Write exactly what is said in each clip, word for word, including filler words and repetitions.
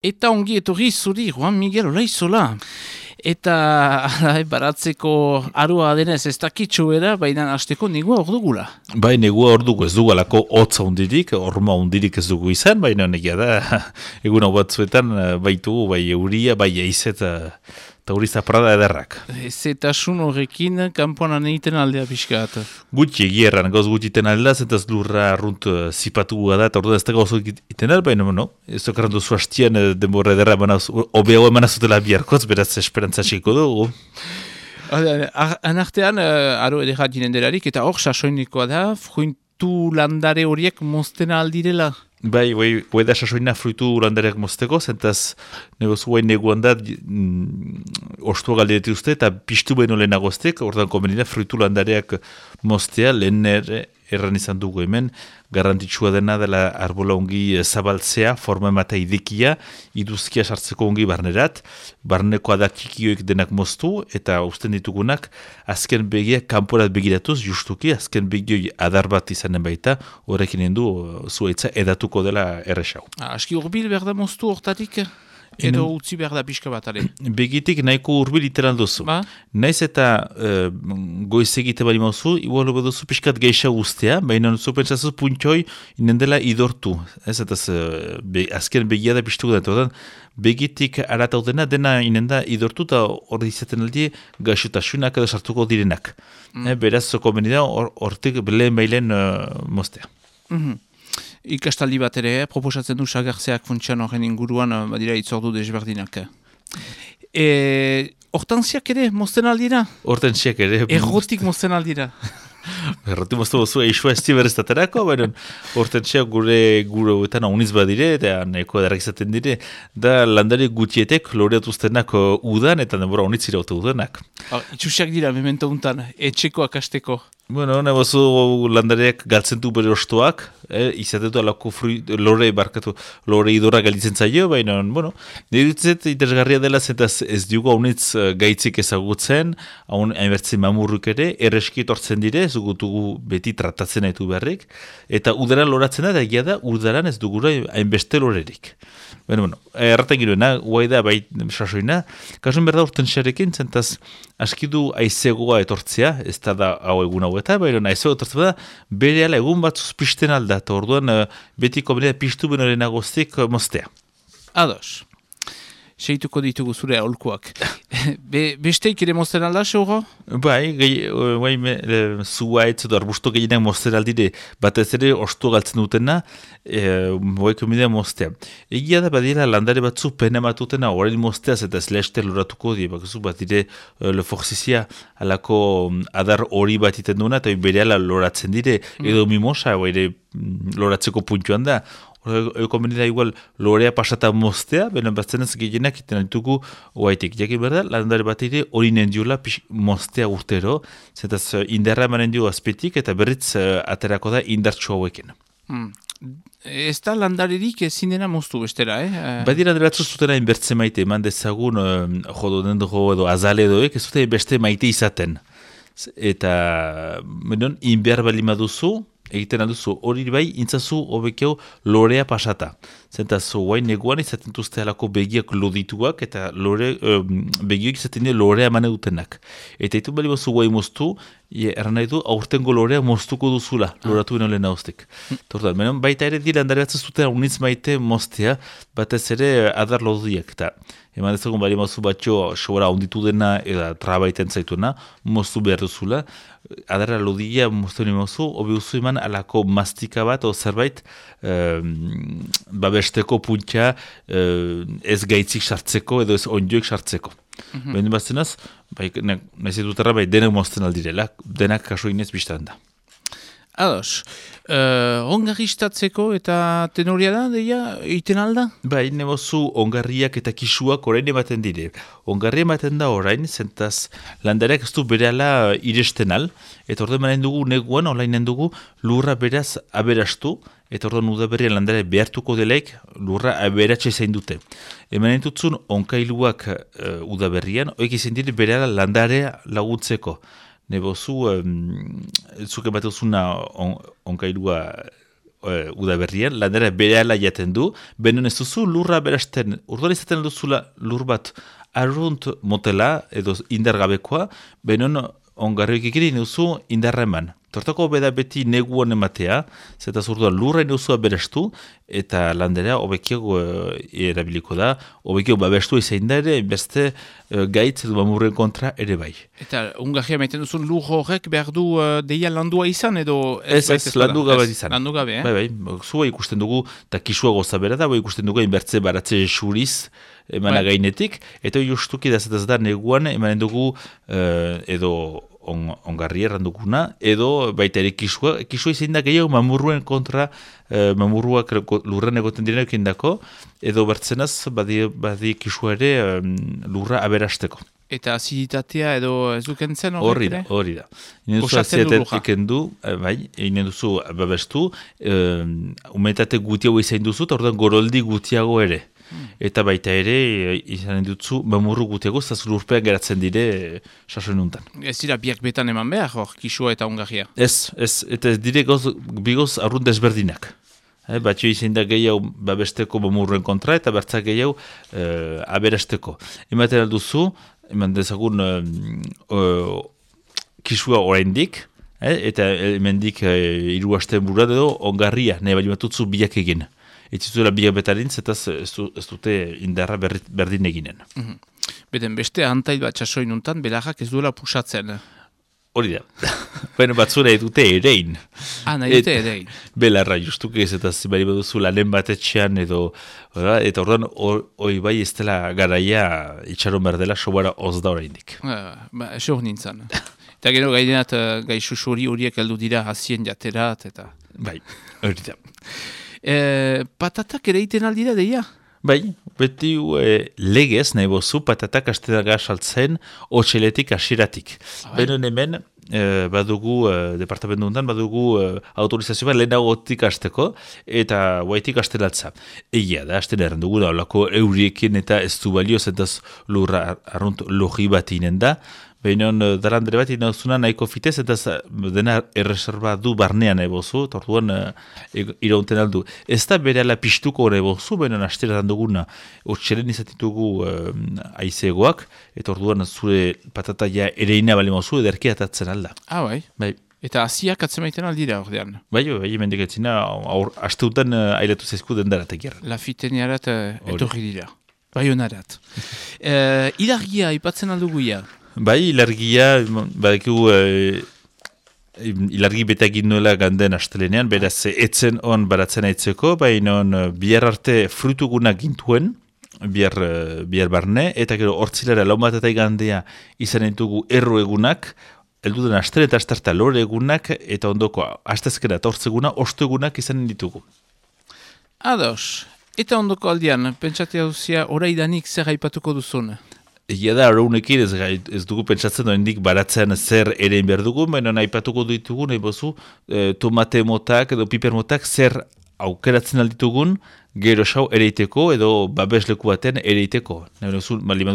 Eta ongi etorri zuri, Juan Miguel Olaizola. Eta ala, baratzeko arua denez ez dakitxo bera, baina hasteko negua hor dugula. Bai, negua hor dugu ez dugu alako hotza hundirik, horma hundirik ez dugu izan, baina negia da, egun hau batzuetan baitugu, bai euria, bai eizet, eta hori zaprada ederrak. Zetasun horrekin kanpoan egiten aldea pixkat. Gutxi egierran, gauz gutxiten aldea, zentaz lurra arrunt uh, zipatu da, eta hori da ez da gauz egiten aldea, baina no, ez dokarren duzu hastian denbora ederra, obeago emanazutela biharkotz, beraz esperantza txiko dugu. Anartean, uh, aro edera dinen delarik, eta hor sasoinikoa da, fruitu landare horiek mozten aldirela. Bai, bai, bai da sasoina fruitu landareak mozteko, zentaz negozu guain neguan da mm, ostua galdereti uste, eta piztu behin olena goztek, ordan konbenina fruitu landareak moztea, lehen ere, erran izan dugu hemen, garrantzitsua dena dela arbola ongi zabaltzea, forma emata idekia, iduzkia sartzeko ongi barnerat, barneko adakikioik denak moztu, eta usten ditugunak, azken begia kanporat begiratuz, justuki, azken begioi adar bat izanen baita, horrekin endu zuaitza edatuko dela erresau. Aski urbil behar da moztu hortatik? Edo utzi behar da pixka bat, ale? Begitik nahiko urbil iteran duzu. Ba? Naiz eta uh, goiz egite bali mauzu, igual hobe duzu pixkat geisha guztia, baina zu pentsatzu puntioi inendela idortu. Ez eta uh, be, azken begia da pixtuko da. Begitik arataudena dena inenda idortu eta hori izaten aldi gaixotasunak edo sartuko direnak. Mm. Eh, beraz, zoko benida hortik or, lehen bailen uh, moztea. Mm-hmm. Ikastaldi bat ere, proposatzen du sagartzeak funtsian horren inguruan, badira itzordu desberdinak. E, hortantziak ere, mozten aldira? Hortantziak ere. Errotik mozten aldira? Errotik mozten bozu, eixua ez tiberestaterako, baina hortantziak gure gure eta nauniz badire, eta nahiko edarak izaten dire, da landari gutietek loreatuztenak udan, eta denbora unitzira ote udanak. Itxusiak dira, memento untan, etxeko akasteko. Bueno, nabozu landareak galtzen du bere ostoak, eh, izatetu alako lore barkatu, lore idora galitzen zaio, baina, bueno, niretzet interesgarria dela zentaz ez dugu haunitz gaitzik ezagutzen, haun hainbertzen mamurruk ere, erreski etortzen dire, ez dugutugu beti tratatzen haitu beharrik, eta udaran loratzen da, da egia da, udaran ez dugura hainbeste lorerik. Bueno, bueno, erraten giroena, guai da, bai, sasoina, kasun berda urten xarekin, zentaz, askidu aizegoa etortzea, ez da da hau egun hau eta, baina aizegoa etortzea da, bere ala egun batzuz pisten alda, eta orduan beti komenea piztu benoren agoztik moztea. Ados, seituko ditugu zure aholkuak. Be, besteik ere mozten alda, seuro? Bai, gai, me, zuaitz edo arbusto gehienak mozten aldire, batez ere ostu galtzen dutena, e, bai komidea moztea. Egia da badira landare batzu pena matutena horrein mozteaz eta ez leheste loratuko die, bakazu bat dire le forzizia alako adar hori bat iten duena, eta bere ala loratzen dire, edo mimosa, bai loratzeko puntuan da. Eko menida igual lorea pasata moztea, benen batzen ez gehienak iten alitugu oaitik. Jakin berda, landare bat ere hori nendiola moztea urtero, zetaz indarra emanen dio azpetik eta berriz uh, aterako da indartxo hauekin. Hmm. Ez da landarerik ezin dena moztu bestera, eh? Badira deratzu zutena inbertze maite, eman dezagun uh, jodo dendro edo azale edoek, ez zute beste maite izaten. Eta, menon, inber bali maduzu, egiten alduzu, hori bai, intzazu hobekeo lorea pasata. Zentaz, guain neguan izaten duzte alako begiak lodituak, eta lore, um, begioik izaten dira lorea emane dutenak. Eta itu bali bazu guai moztu, erran nahi du, aurtengo lorea moztuko duzula, loratu beno lehen hauztek. Tortan, menon, baita ere dira handare batzen zuten unitz maite moztea, batez ere adar lodiak, eta eman dezagun bali mozu batxo sobra onditu dena, eta trabaiten zaituena, moztu behar duzula, adarra lodia moztu nire mozu, hobi uzu eman alako mastika bat, o zerbait, um, babesteko puntxa uh, ez gaitzik sartzeko, edo ez ondioek sartzeko. Mm-hmm. Behin baztenaz, bai, nahi dutarra bai denak mozten aldirela, denak kaso inez biztan da. Ados, uh, ongarristatzeko eta tenoria da, deia, egiten alda? Bai, nebozu ongarriak eta kisuak orain ematen dire. Ongarri ematen da orain, zentaz landareak ez du berehala iresten al, eta orduan manen dugu neguan, olainen dugu lurra beraz aberastu, eta orduan udaberrian landare behartuko delaik lurra aberatxe zain dute. Hemen entutzun onkailuak uh, udaberrian, oik izan dire berehala landarea laguntzeko. Nebozu, um, zuke bat duzuna on, onkailua uh, udaberrien, landera berehala jaten du, benen ez duzu lurra berasten, urduan izaten duzula lur bat arrunt motela, edo indargabekoa, benen ongarrioik ikirin duzu indarra eman. Tortako beda beti neguan ematea, zeta zurduan lurra inuzua berestu, eta landera hobekiago uh, erabiliko da, hobekiago babestu izan da ere, beste uh, gaitz edo mamurren kontra ere bai. Eta ungarria maiten duzun lur horrek behar du uh, deia landua izan edo... Ez, ez, ez landu gabe izan. Landu gabe, eh? Bai, bai, zua ikusten dugu, eta kisua goza bera da, bai ikusten dugu inbertze baratze xuriz, emana bai. Gainetik, eta justuki da zetaz da neguan, emanen dugu uh, edo... On, ongarri errandukuna, edo baita ere kisua, kisua izan da gehiago mamurruen kontra, eh, mamurruak lurren egoten direnak indako, edo bertzenaz badi, badi kisua ere um, lurra aberasteko. Eta aziditatea edo ez dukentzen horrek ere? Hori da, hori da. Goxatzen du lurra. Ikendu, bai, egin duzu babestu, um, umetate gutiago izan duzu, eta orduan goroldi gutiago ere. Eta baita ere, izan dutzu, mamurru gutiago, zaz lurpean geratzen dire sasoen untan. Ez dira biak betan eman behar, hor, kisua eta ungarria? Ez, ez, eta ez dire goz, bigoz arrunt desberdinak. Eh, Batxo izan da gehiago babesteko mamurruen kontra, eta bertzak gehiago eh, aberasteko. Ematen alduzu, eman dezagun eh, eh, kisua oraindik, eh, eta hemendik eh, hiru aste burua edo ongarria, nahi bali batutzu biak egin. Ez zuela biak betarintz, eta ez dute indarra berdin eginen. Mm -hmm. Beden, beste antail bat txasoin untan, belarrak ez duela pusatzen. Hori da. Baina batzura edute erein. Ah, nahi dute erein. Belarra, justuke ez eta zibari baduzu lanen batetxean edo, eta orduan hori bai ez dela garaia itxaron berdela sobara oz da oraindik. Ah, ba, eso hor nintzen. Eta gero gaidenat gai susuri horiek heldu dira hazien jaterat, eta... Bai, hori da. E, patatak ere iten aldira deia? Bai, beti e, legez nahi bozu patatak astenaga saltzen otxeletik asiratik. Ah, bai. Benen hemen e, badugu, e, departamentu honetan, badugu e, autorizazio bat lehenagotik asteko eta guaitik astelatza. Egia da, asten erren dugu da, olako euriekin eta ez du balio zentaz lurra arrunt logi bat inen da. Behinon, darandere bat inauzuna nahiko fitez, eta dena erreserba du barnean ebozu, eta orduan e, iraunten aldu. Ez da bere ala piztuko hori ebozu, behinon asteretan duguna, otxeren izatitugu e, aizegoak, eta orduan zure patataia ereina bali mozu, ederki atatzen alda. Ah, bai? Bai. Eta aziak atzemaiten aldira ordean? Bai, bai, mendik etzina, asteutan ailatu zaizku dendaratek gerra. Lafiteniarat etorri dira. Bai honarat. e, Ilargia, ipatzen alduguia? Bai, ilargia, badakigu, e, ilargi betagin nuela ganden astelenean, beraz, etzen on baratzen aitzeko, baina bihar arte frutugunak gintuen, bihar, bihar barne, eta gero hortzilara lau bat eta igandea izan entugu erro egunak, elduden astele eta astarta lore egunak, eta ondoko astezkera eta hortzeguna, ostu egunak izan ditugu. Ados, eta ondoko aldian, pentsatea duzia, oraidanik zer haipatuko duzun? Egia da, araunekin ez, ez dugu pentsatzen doendik baratzen zer erein behar dugu, baina nahi patuko ditugu, nahi bozu, e, tomate motak edo piper motak zer aukeratzen alditugun, gero xau ereiteko edo babesleku baten ereiteko. Nahi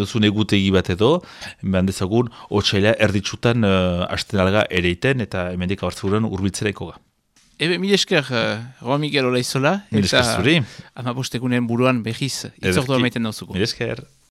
duzun egutegi bat edo, behan dezagun, otxaila erditsutan uh, asten alga ereiten eta hemendik abartzeguren urbiltzeraiko ga. Ebe, mil esker, uh, Roa Miguel Olaizola, eta amabostegunen buruan behiz, itzordua maiten dauzuko. Mil esker.